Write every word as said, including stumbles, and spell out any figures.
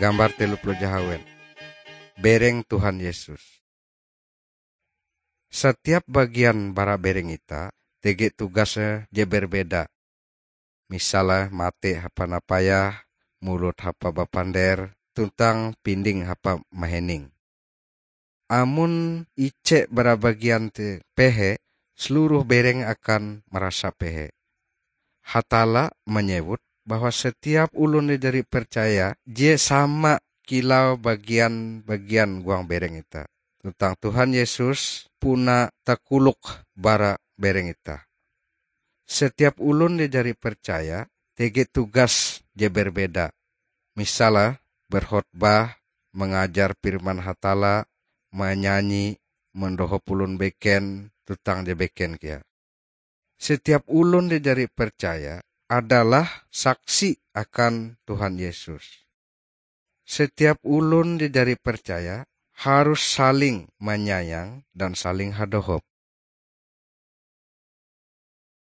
Gambar telu puluh jahawen. Bereng Tuhan Yesus. Setiap bagian bara bereng itah tege tugasnya je berbeda. Misalnya mate hapa napayah, mulut hapa bapander, tuntang pinding hapa mahining. Amon ije bara bagian te pehe, seluruh bereng akan merasa pehe. Hatalla manyewut bahwa setiap ulun je jari percaya je sama kilau bagian-bagian huang bereng itah. Tuntang Tuhan Yesus puna takolok bara bereng itah. Setiap ulun je jari percaya tege tugas je berbeda. Misalnya, berkhotbah, mangajar firman Hatalla, manyanyi, mandohop ulun beken, tuntang je beken kea. Setiap ulun je jari percaya adalah saksi akan Tuhan Yesus. Setiap ulun je jari percaya harus saling manyayang dan saling hadohop.